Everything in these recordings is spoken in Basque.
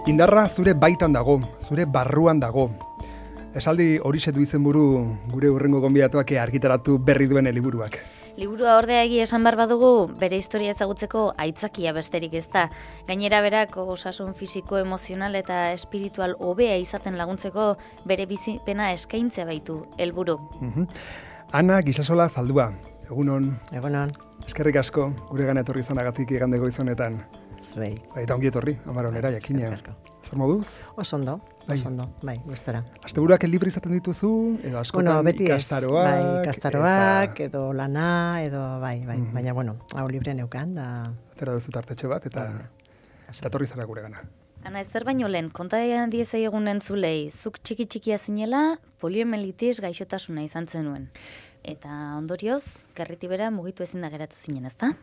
Indarra zure baitan dago, zure barruan dago. Esaldi horixe du izenburu gure hurrengo gonbidatuak argitaratu berri duen liburuak. Liburua ordea egia esan behar badugu, bere historia ezagutzeko aitzakia besterik ez da. Gainera berak osasun fisiko, emozional eta espiritual hobea izaten laguntzeko bere bizipena eskaintzea baitu helburu. Ana Gisasola Zaldua, egunon. Egunon. Eskerrik asko, gure gana etorri izanagatik igande goizonetan. Zuei. Eta ongi etorri, Amaronera, jakina. Zer moduz? Oso ondo, bai, gustora. Asteburuak libre izaten dituzu, edo askotan ikastaroak. Bai, ikastaroak, edo lana, edo bai, baina bueno, hau libre neukan, da... Atera duzu tartetxe bat, eta etorri zara gure gana. Ana, ezer baino lehen, kontadean diezai egun entzulei, zuk txikia zinela, poliomielitis gaixotasuna izan zenuen. Eta ondorioz, gerritibera mugitu ezin da geratu zinen, ezta?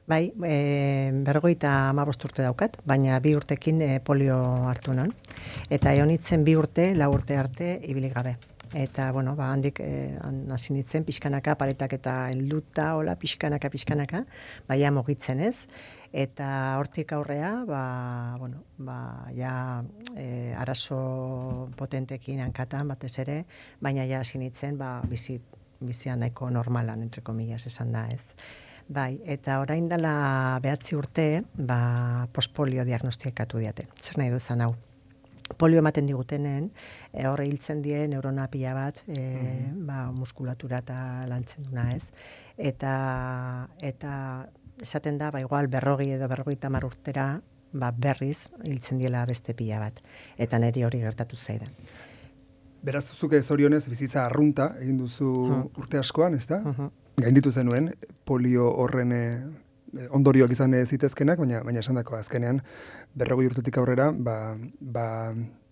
Bai, 55 urte daukat, baina 2 urtekin polio hartu non. Eta egon itzen 2 urte, 4 urte arte ibili gabe. Eta, bueno, handik hasi nintzen pixkanaka, paretak eta helduta, hola, pixkanaka, baina mugitzen ez. Eta hortik aurrea, arazo potentekin hankatan batez ere, baina ja hasi nintzen, bizia nahiko normalan, entre comillas, esan da ez. Bai, eta orain dela 9 urte, postpolio diagnostikatu diate. Zer nahi duzan hau? Polio ematen digutenen, horre hiltzen die neurona pila bat, muskulatura eta lantzen duna ez. Eta esaten da, igual 40 edo 50 urtera, berriz hiltzen diela beste pila bat. Eta niri hori gertatu zaidan. Beraz, zuke zorionez bizitza arrunta egin duzu urte askoan, ezta? Gainditu zenuen, polio horren ondorioak izan zitezkenak, baina esan dako azkenean, 40 urtetik aurrera,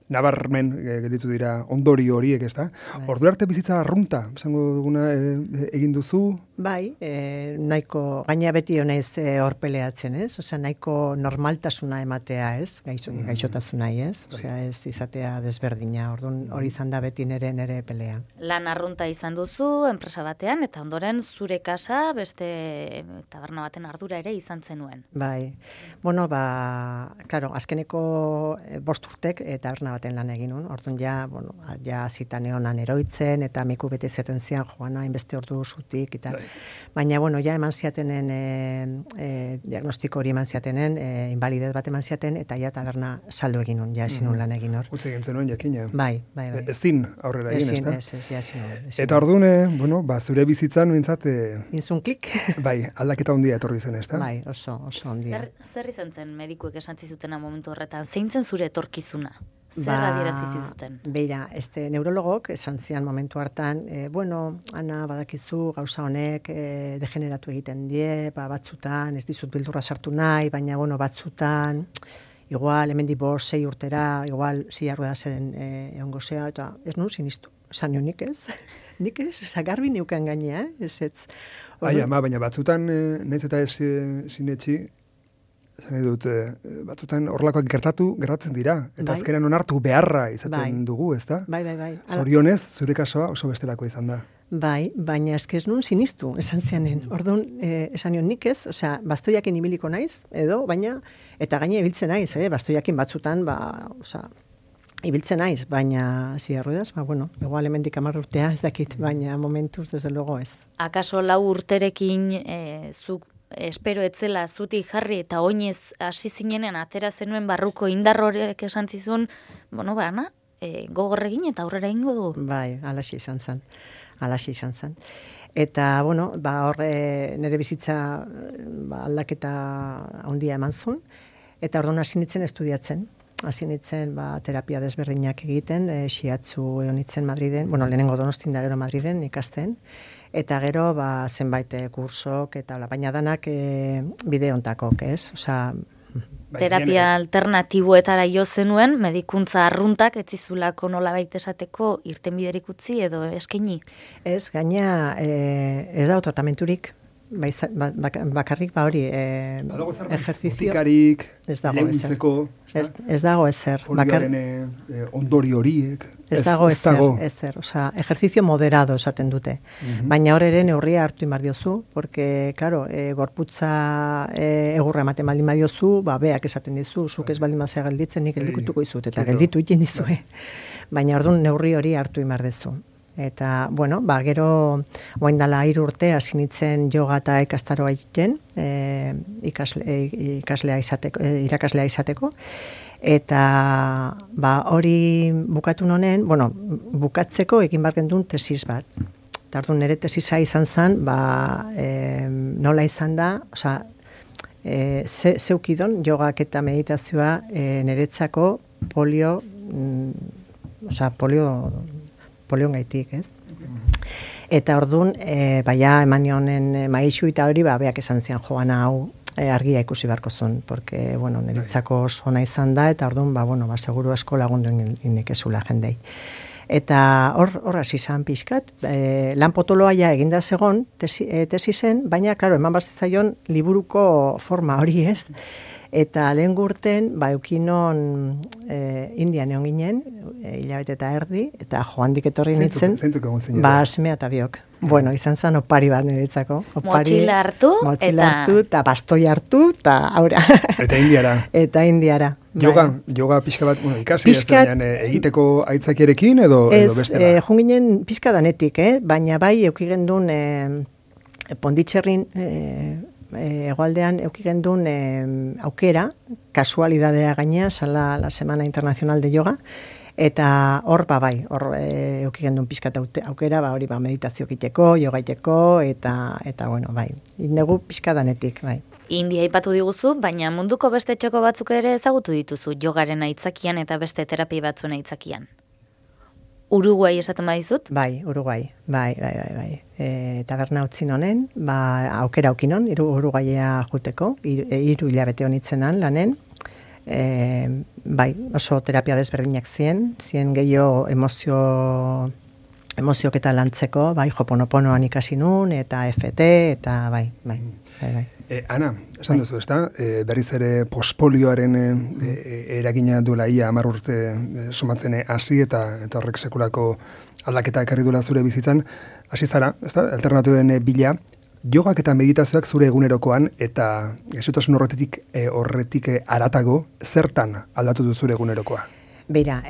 nabarmen gelditu dira ondorio horiek, ezta? Ordu arte bizitza arrunta, esango duguna egin duzu? Bai, nahiko, gaina beti honez horpeleatzen, ez? Osea, nahiko normaltasuna ematea, ez? Gaixotasuna, ez? Osea, ez izatea desberdina, orduan hori izan da beti nere pelea. Lan arrunta izan duzu, enpresa batean, eta ondoren zure kasa, beste taberna baten ardura ere izan zenuen. Bai, bueno, claro, azkeneko 5 urtek taberna baten lan egin nun, orduan ja zitan egonan eroitzen, eta miku bete zeten zian, joan hainbeste ordu zutik, eta baina, ja eman ziatenen, diagnostiko hori eman ziatenen, invalidez bat eman ziaten, eta ja taberna saldo egin nun, ja ezin nun lan egin hor. Utsi egin zenuen jakina. Bai. Ezin aurrera egin, ezta? Ez, ezin. Eta orduan, zure bizitzan, mintzat... Inzun klik? Bai, aldaketa handia etorri zen, ezta? Bai, oso handia. Zer izan zen medikuek esan zizutena momentu horretan? Zein zen zure etorkizuna? Zer adierazi zizuten? Beira, neurologok esan zian momentu hartan, Ana, badakizu, gauza honek degeneratu egiten die, batzutan, ez dizut bildurra sartu nahi, baina, batzutan, igual, hemendik 5-6 urtera, igual, zilarru da zen egongo zea, eta ez nun sinistu, esan nio nik ez. Nik ez, garbi neukan gainea, ez. Baina batzutan, nahiz eta ez sinetxi, zan dut, batzutan horrelakoak gertatzen dira. Eta azkenean onartu beharra izaten dugu, ezta? Bai. Zorionez, zure kasoa oso bestelako izan da. Bai, baina eskez nun sinistu, esan zianen. Orduan, esan nion nik ez, bastoiakin ibiliko naiz, edo, baina, eta gaine ibiltzen naiz, bastoiakin batzutan, ibiltzen naiz, baina ziarruedaz, igual hemendik 10 urtea ez dakit, baina momentuz, desde luego ez. Akaso 4 urterekin zuk espero etzela zutik jarri eta oinez hasi zinenen atera zenuen barruko indar horrek esan zizun, Ana, gogor egin eta aurrera egingo du. Bai, alaxi izan zen. Eta, horre nire bizitza aldaketa handia eman zuen, eta orduan hasi nintzen estudiatzen. Hasi nintzen terapia desberdinak egiten, shiatsu egon nintzen Madriden, lehenengo Donostin da gero Madriden ikasten, eta gero zenbait kursok, baina danak bide ontakok, ez? Terapia alternatiboetara jo zenuen, medikuntza arruntak etzizulako nolabait esateko irtenbiderik utzi edo eskaini? Ez, gaina ez dago tratamenturik. bakarrik hori ejerzizio ez dago ezer. Ez dago ezer. Polioaren ondori horiek. Ez dago ezer. Osea, ejerzizio moderado esaten dute. Baina hor ere neurria hartu imar diozu, porque, claro, gorputza egurra ematen baldin badiozu, beak esaten dizu, zuk ez baldin bazea gelditzen, nik geldikutuko izut, eta gelditu iten dizue. Baina orduan neurri hori hartu imar dezu. Eta, bueno, gero, oain dala 3 urte, hasi nintzen yoga eta ikastaroa egiten, irakaslea izateko. Eta, hori bukatu nonen, bukatzeko egin behar gendun tesis bat. Eta orduan nire tesisa izan zen, nola izan da, osea, zeukidon jogak eta meditazioa niretzako polio gaitik, ez? Eta orduan, eman nionen maixu eta hori, beak esan zian joan hau argia ikusi beharko zuen, porque, niretzako oso ona izan da, eta orduan, seguru asko lagundu inekezula jendei. Eta hor hasi izan pixkat, lan potoloa ja eginda zegon tesisen, baina, klaro, eman bazitzaion liburuko forma hori, ez? Eta lehen gurten, eukinon Indian egon ginen, hilabete eta erdi, eta joandik etorri nintzen, semea eta biok. Bueno, izan zen opari bat niretzako. Motxila hartu, eta bastoi hartu, eta aura. Eta indiara. Yoga pixka bat, ikasi egiteko aitzakiarekin edo beste bat? Ez, junginen pixka danetik, baina bai eukigendun Ponditxerrin egoaldean eukigendun aukera, kasualidadea gainea, zala la Semana Internacional de Yoga, eta hor eukigendun pixkat aukera, hori meditazio egiteko, yoga egiteko, eta indegu pixka danetik, bai. India aipatu diguzu, baina munduko beste txoko batzuk ere ezagutu dituzu jogaren aitzakian eta beste terapia batzuen aitzakian. Uruguai esaten badizut? Bai, Uruguai, bai. Taberna utzin honen, aukera aukinon, Uruguaia juteko, 3 hilabete honitzenan lanen, oso terapia desberdinak zien gehiago emozioketa lantzeko, Hoponoponoan ikasi nun, eta FT, eta bai. Ana, esan duzu, ezta? Berriz ere pospolioaren eragina duela ia 10 urte somatzen hasi eta horrek sekulako aldaketa ekarri duela zure bizitzan. Hasi zara, ezta? Alternatiben bila, jogak eta meditazioak zure egunerokoan eta gaixotasun horretik haratago zertan aldatu du zure egunerokoa? Beira,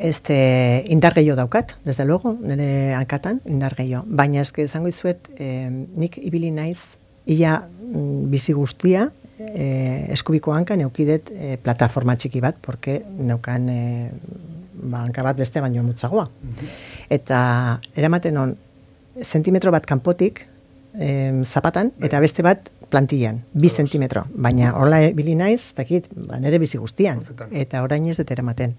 indar gehiago daukat, desde luego, nire hankatan, indar gehiago. Baina esango izuet, nik ibili naiz, ia bizi guztia, eskubiko hankan eukidet plataforma txiki bat, porque neukan hanka bat beste baino mutzagoa. Eta eramaten on, zentimetro bat kanpotik, zapatan, eta beste bat plantillan, 2 zentimetro. Baina horla bili naiz, nire bizi guztian. Eta orain ez dut eramaten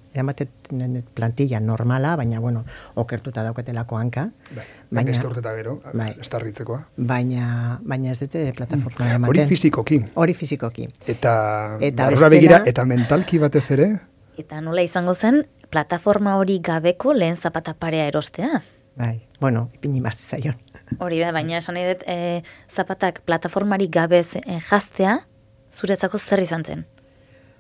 plantilla normala, baina, okertuta daukatelako hanka. Baina ez urteta gero, estarritzekoa. Baina ez dute plataforma eramaten. Hori fizikoki. Eta barrura begira, eta mentalki batez ere? Eta nola izango zen, plataforma hori gabeko lehen zapata parea erostea? Bai, ipini marzi zaion. Hori da, baina esan nahi dut, zapatak plataformari gabez jaztea, zuretzako zer izan zen?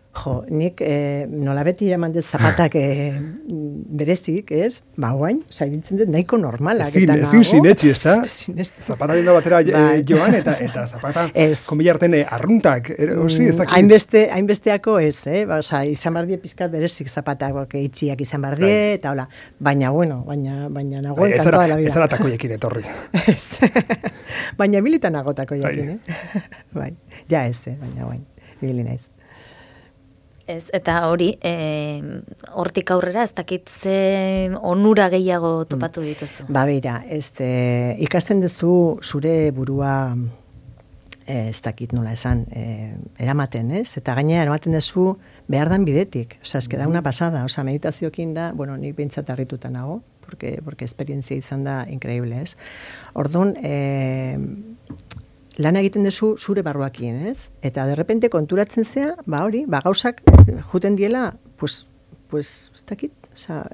Jo, nik nola beti eman dut zapatak berezik, ez? Guain, saibitzen dut nahiko normalak. Ezin sinetxi, ez da? Zapata dino batera joan, eta zapata konbilarten arruntak, ez dakit? Hainbesteako ez, izan bardie pizkat berezik zapatak, itxiak izan bardie, eta hola. Baina nagoen kantoa la vida. Ez zara takoiekin etorri. Ez. Baina militan nago takoiekin, Bai, ja ez, baina guain, ibili naiz. Ez, eta hori, hortik aurrera, ez dakit ze onura gehiago topatu dituzu? Beira, ikasten duzu zure burua, ez dakit nola esan, eramaten, ez? Eta gainera eramaten duzu behar dan bidetik. Osa, ez da una pasada. Osa, meditaziokin da, nik behintzat harrituta nago, porque esperientzia izan da increíble, ez? Orduan, lan egiten duzu zure barruakin, ez? Eta derrepente konturatzen zea, gauzak juten diela, pues, ez dakit,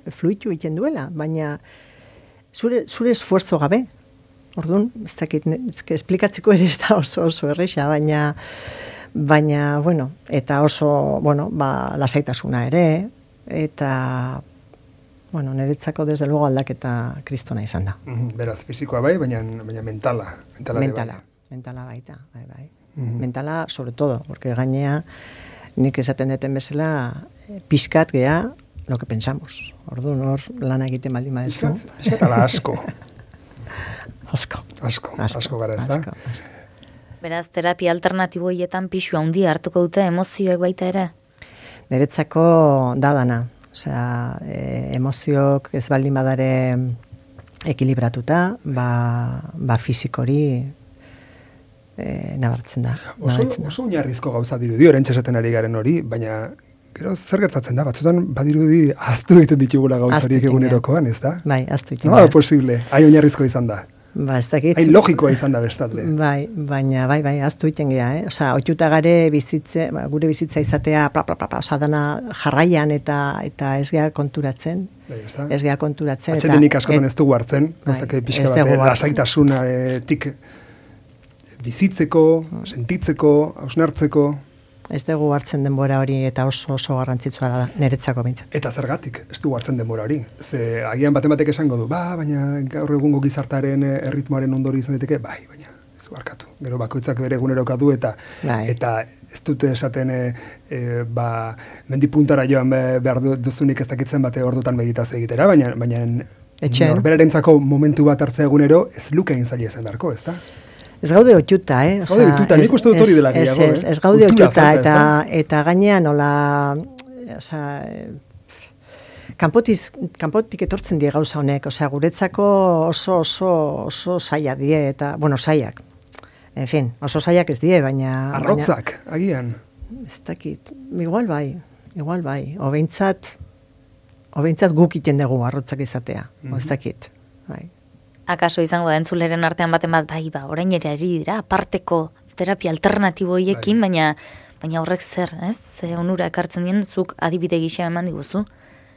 fluitu egiten duela, baina zure esfuerzo gabe. Orduan, ez dakit, esplikatzeko ere ez da oso erresa, baina, bueno, eta oso, bueno, lasaitasuna ere, eta, bueno, niretzako desde luego aldaketa kristona izan da. Beraz, fizikoa bai, baina mentala. Mentala baita, bai. Mentala, sobre todo, porque gainea, nik esaten deten bezala, pixkat gea lo que pensamos. Orduan hor lana egiten baldin badezu. Pixkat ala asko. Asko gara ez da. Beraz, terapia alternatibo hietan pixu handia hartuko dute emozioek baita ere? Niretzako dana. Osea, emozioak ez baldin badare ekilibratuta, fizikori nabartzen da. Oso oinarrizko gauza dirudi, oraintxe esaten ari garen hori, baina gero zer gertatzen da, batzutan badirudi ahaztu egiten ditugula gauzariek egunerokoan, ez da? Bai, ahaztu egiten da. No, posible, oinarrizko izan da. Ez dakit. Logikoa izan da bestalde. Baina, ahaztu egiten gea, Osea, oituta gare bizitze, gure bizitza izatea, osa dana jarraian eta ez gea konturatzen. Ez gea konturatzen. Atxetenik askotan ez dugu hartzen, pixka bat, lasaitasunatik bizitzeko, sentitzeko, hausnartzeko. Ez dugu hartzen denbora hori eta oso garrantzitsua da, niretzako bintzen. Eta zergatik, ez dugu hartzen denbora hori. Ze agian batek esango du, baina gaur egungo gizartaren erritmoaren ondori izan diteke, baina ez du harkatu. Gero bakoitzak bere eguneroka du eta ez dute esaten mendipuntara joan behar duzunik ez dakitzen bate ordutan meditaz egitera, baina norberarentzako momentu bat hartzea egunero ez luke egin zaila izan beharko, ez da? Ez gaude oituta, Ez gaude oituta, nik uste dut hori dela gehiago, Ez gaude oituta, eta gainean nola, kanpotik etortzen die gauza honek, guretzako oso zaila die, eta, zailak. En fin, oso zailak ez die, baina... Arrotzak, agian. Ez dakit, igual bai, obeintzat guk iten dugu arrotzak izatea, ez dakit, bai. Akaso izango da entzuleren artean baten bat, orain ere ari dira, aparteko terapia alternatibo hiekin, baina horrek zer, ez? Ze onura ekartzen dien, zuk adibide gisa eman diguzu,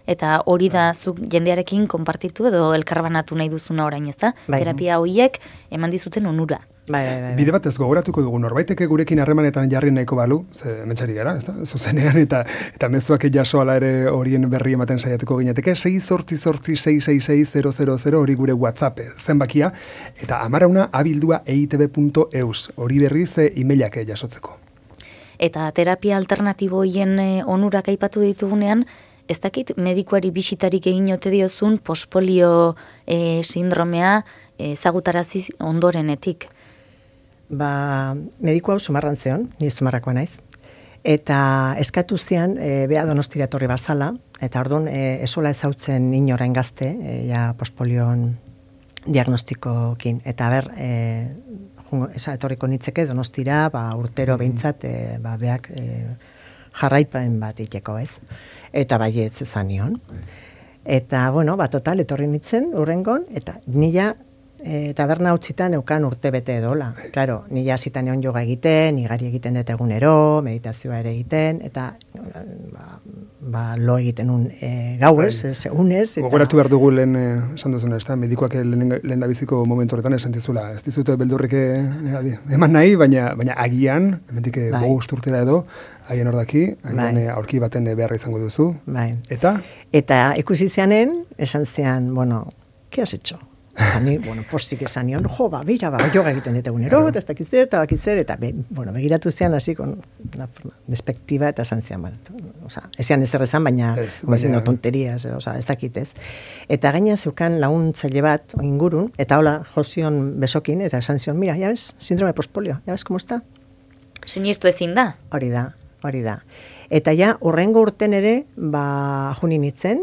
eta hori da zuk jendearekin konpartitu edo elkarbanatu nahi duzuna orain, ez da? Terapia horiek eman dizuten onura. Bide bat ez gogoratuko dugu, norbaiteke gurekin harremanetan jarri nahiko balu, ze mentxari gara, ez da? Zuzenean eta mezuak jaso ala ere horien berri ematen saiatuko gineteke, 688-666-000 hori gure WhatsApp zenbakia, eta amarauna abildua eitb.eus, hori berriz emailak jasotzeko. Eta terapia alternatibo hien onurak aipatu ditugunean, ez dakit medikuari bisitarik egin ote diozun pospolio sindromea ezagutarazi ondorenetik. Mediku hau Zumarran zeon, ni Zumarrakoa naiz, eta eskatu zian, bea Donostira etorri barzala, eta orduan esola ezautzen inorain gazte, pospolion diagnostikokin, eta etorriko nitzeke Donostira, urtero behintzat, beak jarraipen bat iteko ez, eta baietz ezan nion. Eta, total, etorri nitzen, urrengon, eta nila taberna utzitan eukan urte bete edola. Claro, nila zitan egon yoga egiten, igari egiten dut egunero, meditazioa ere egiten, eta lo egiten gauez, segunez. Gogoratu behar dugu lehen esan duzuna, ez da, medikoak lehen da biziko momentu horretan esan dizula. Ez dizute beldurrik eman nahi, baina agian, hemendik bost urtera edo, haien hor daki, aurki baten beharra izango duzu. Eta? Eta ikusi zianen, esan zian, ¿qué has hecho? Eta ni, posik esan nion, yoga egiten dut egunero, eta ez dakizzer, eta begiratu zian hasi con una despektiba, eta esan zian, ezian ez errezan, baina tonterias, ez dakitez. Eta gaina zeukan laguntzaile bat ingurun, eta hola jozion besokin, eta esan zion, mira, ya ves, síndrome pospolio, ya ves, ¿cómo está? Sinistu ezin da. Hori da. Eta urrengo urten ere, junin itzen,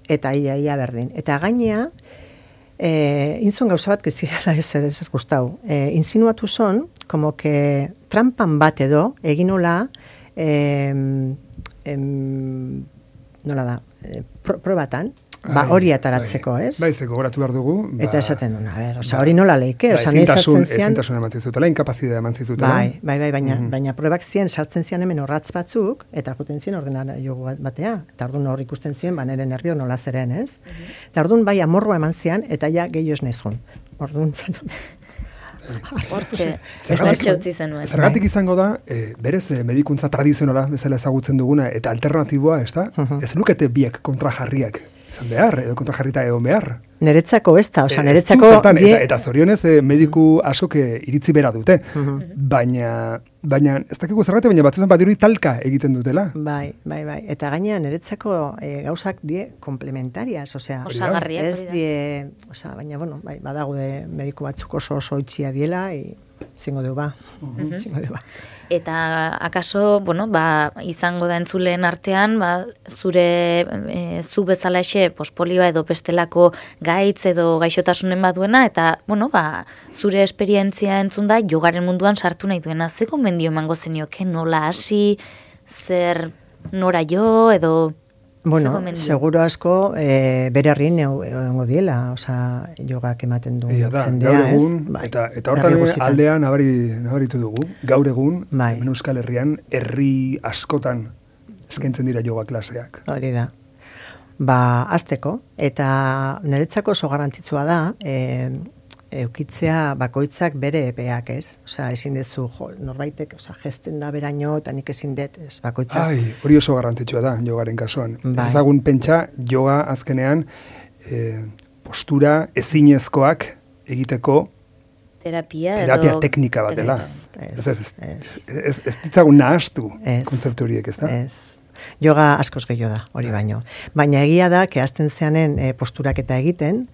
eta ia berdin. Eta gainea, inzun gauza bat, gezira ez gustau, insinuatu zon, como que trampan bat edo, egin nola, nola da, probatan, hori ataratzeko, ez? Zeko goratu behar dugu. Eta esaten duen, hori nola leike, ezintasun eman zizutela, inkapazidea eman zizutela. Baina probak ziren, sartzen zian hemen horratz batzuk, eta juten ziren ordenara jogu batea, eta orduan hor ikusten ziren, nire nervio nola zeren, ez? Eta orduan amorroa eman zian, eta gehiago ez nahizun. Orduan, Hortxe utzi zenuen. Zergatik izango da, berez medikuntza tradizionala bezala ezagutzen duguna, eta alternatiboa, ez da? Ez lukete biek kontrajarriak izan behar, edo kontrajarrita egon behar. Neretzako ez da, neretzako... Eta zorionez mediku askok iritzi bera dute, baina ez dakigu zergatik, baina batzutan badirudi talka egiten dutela. Bai, eta gainean neretzako gauzak die komplementarias, osagarriak. Baina, bueno, badago de mediku batzuk oso itxia diela, zingo du ba. Eta akaso, izango da entzuleen artean, zu bezala polioa edo bestelako gaitz edo gaixotasunen baduena, eta, zure esperientzia entzun da, jogaren munduan sartu nahi duena. Ze gomendio emango zenioke, nola hasi, zer nora jo, edo... seguro asko bere harrin egongo diela, jogak ematen du jendea, ez? Eta hortan aldean nabaritu dugu, gaur egun, hemen Euskal Herrian, herri askotan eskaintzen dira joga klaseak. Hori da. Azteko, eta niretzako oso garrantzitsua da, eukitzea bakoitzak bere epeak, ez? Ezin dezu, norbaitek, gesten da beraino, eta nik ezin dut, ez, bakoitzak. Hori oso garrantzitsua da, jogaren kasuan. Ezagun pentsa, joga azkenean, postura ezinezkoak egiteko terapia teknika bat dela. Ez ditzagun nahastu kontzeptu horiek, ez da? Ez. Yoga askoz gehiago da, hori baino. Baina egia da, kehazten zeanen posturak eta egiten,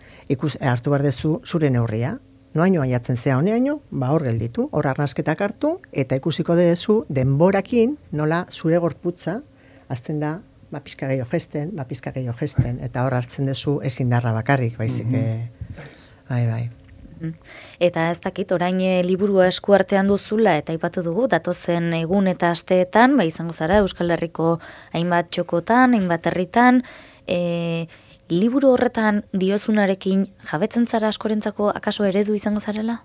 hartu behar dezu zure neurria. Noaino aiatzen zea honeaino, hor gelditu, hor arnasketak hartu, eta ikusiko dezu denborakin nola zure gorputza, azten da, pizka gehiago gesten, eta hor hartzen dezu ezindarra bakarrik, baizik. Bai. Eta ez dakit, orain liburua eskuartean duzula, eta aipatu dugu, datozen egun eta asteetan, izango zara Euskal Herriko hainbat txokotan, hainbat herritan, liburu horretan diozunarekin jabetzen zara askorentzako akaso eredu izango zarela?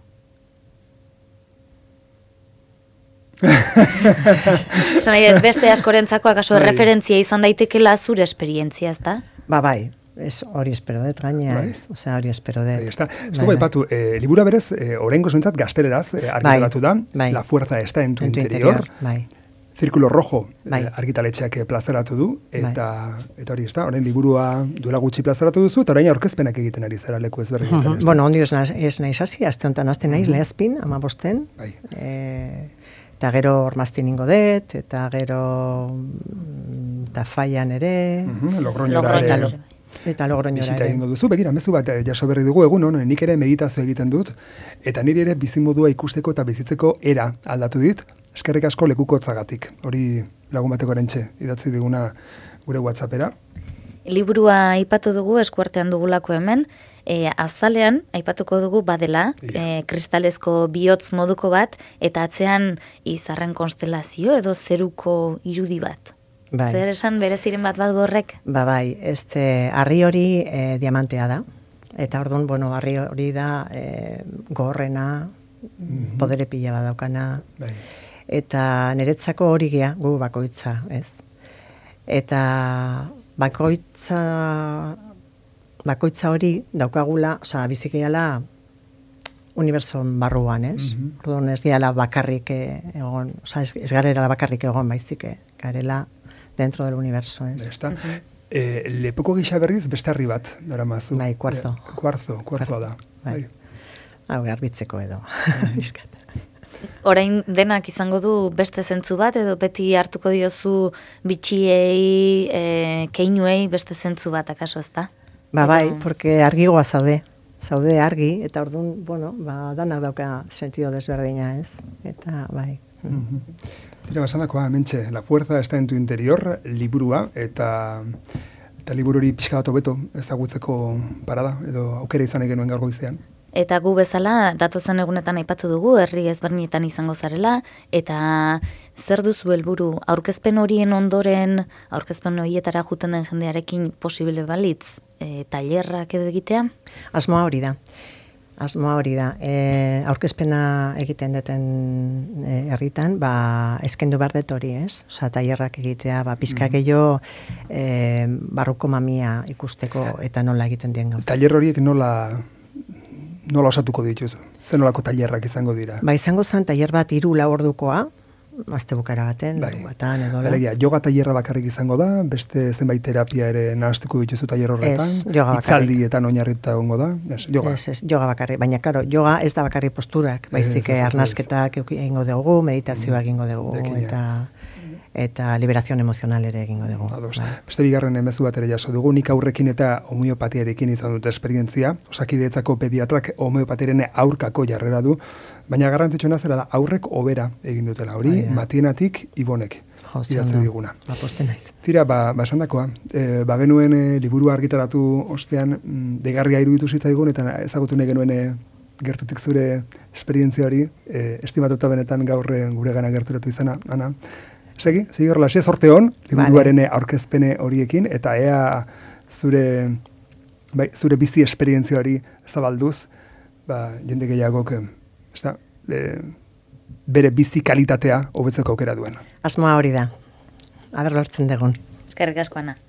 Beste askorentzako akaso referentzia izan daitekela zure esperientzia, ez da? Bai. Hori espero dut, gaina, ez? Hori espero dut. Ez dugu aipatu, libura berez, oraingoz behintzat gazteleraz argitaratu da, La fuerza está en tu interior, Círculo Rojo argitaletxeak plazaratu du, eta hori ez da, orain liburua duela gutxi plazaratu duzu, eta orain aurkezpenak egiten ari zara leku ezberdinetan. Ondi ez naiz hasi, azte honetan azte naiz, lehazpin, 15, eta gero ormaztin ingo dut, eta gero Tafaian ere, Logroñora ere. Eta Logroñora ere. Bizita egingo duzu, begira, mezu bat jaso berri dugu egun, nik ere meditazio egiten dut, eta niri ere bizimodua ikusteko eta bizitzeko era aldatu dit, eskerrik asko lekukotzagatik. Hori lagun bateko erentxe, idatzi diguna gure WhatsAppera. Liburua aipatu dugu, eskuartean dugulako hemen, azalean aipatuko dugu badela, kristalezko bihotz moduko bat, eta atzean izarren konstelazio edo zeruko irudi bat. Zer esan bereziren bat gorrek? Bai, harri hori diamantea da. Eta orduan, harri hori da gorrena, podere pila badaukana. Eta niretzako hori gea, gu bakoitza, ez? Eta bakoitza hori daukagula, bizikeala unibertson barruan, ez? Orduan ez gehala bakarrik egon, ez garela bakarrik egon baizik, garela dentro del universo, ez? Lepoko gisa berriz beste harri bat, dara mazu. Bai, kuarzo. Kuarzoa da. Hau, garbitzeko edo. Orain denak izango du beste zentzu bat, edo beti hartuko diozu bitxiei, keinuei beste zentzu bat, akaso ez da? Bai, porque argigoa zaude argi, eta orduan, danak dauka sentido desberdina, ez? Eta, bai. Tira basadakoa, mentxe, La fuerza está en tu interior, liburua, eta liburu hori pixka bat hobeto ezagutzeko parada, edo aukera izan genuen gaur goizean. Eta gu bezala, datozen egunetan aipatu dugu, herri ezberdinetan izango zarela, eta zer duzu helburu aurkezpen horien ondoren, aurkezpen horietara juten den jendearekin posible balitz, tailerrak edo egitea? Asmoa hori da. Aurkezpena egiten duten herritan, eskendu behar dut hori, ez? Tailerrak egitea, pizka gehiago barruko mamia ikusteko eta nola egiten dien gauza. Tailer horiek nola osatuko dituzu? Zer nolako tailerrak izango dira? Ba, izango zen tailer bat 3-4 ordukoa, azte bukara baten, batan edo. Alegia, yoga tailerra bakarrik izango da, beste zenbait terapia ere nahastuko dituzu tailer horretan. Ez, yoga bakarrik. Itzaldietan oinarrituta egongo da. Yoga. Ez, yoga bakarrik. Baina, karo, yoga ez da bakarrik posturak. Baizik arnasketak egingo dugu, meditazioa egingo dugu, eta liberazion emozional ere egingo dugu. Beste bigarren emezu bat ere jaso dugu, nik aurrekin eta homeopatiarekin izan dut esperientzia, Osakidetzako pediatrak homeopatiaren aurkako jarrera du, baina garrantzitsuna zera da aurrek hobera egin dutela hori, Matienatik Ibonek idatzi diguna. Tira, esandakoa, genuen liburua argitaratu ostean, deigarria iruditu zitzaigun, eta ezagutu nahi genuen gertutik zure esperientzia hori, estimatuta benetan gaur gure gana gerturatu izana, Ana. Segi horrela, sorte hon, liburuaren aurkezpene horiekin, eta ea zure bizi esperientzia hori zabalduz, jende gehiagok, bere bizi kalitatea hobetzeko aukera duen. Asmoa hori da. Aber lortzen dugun. Eskerrik asko, Ana.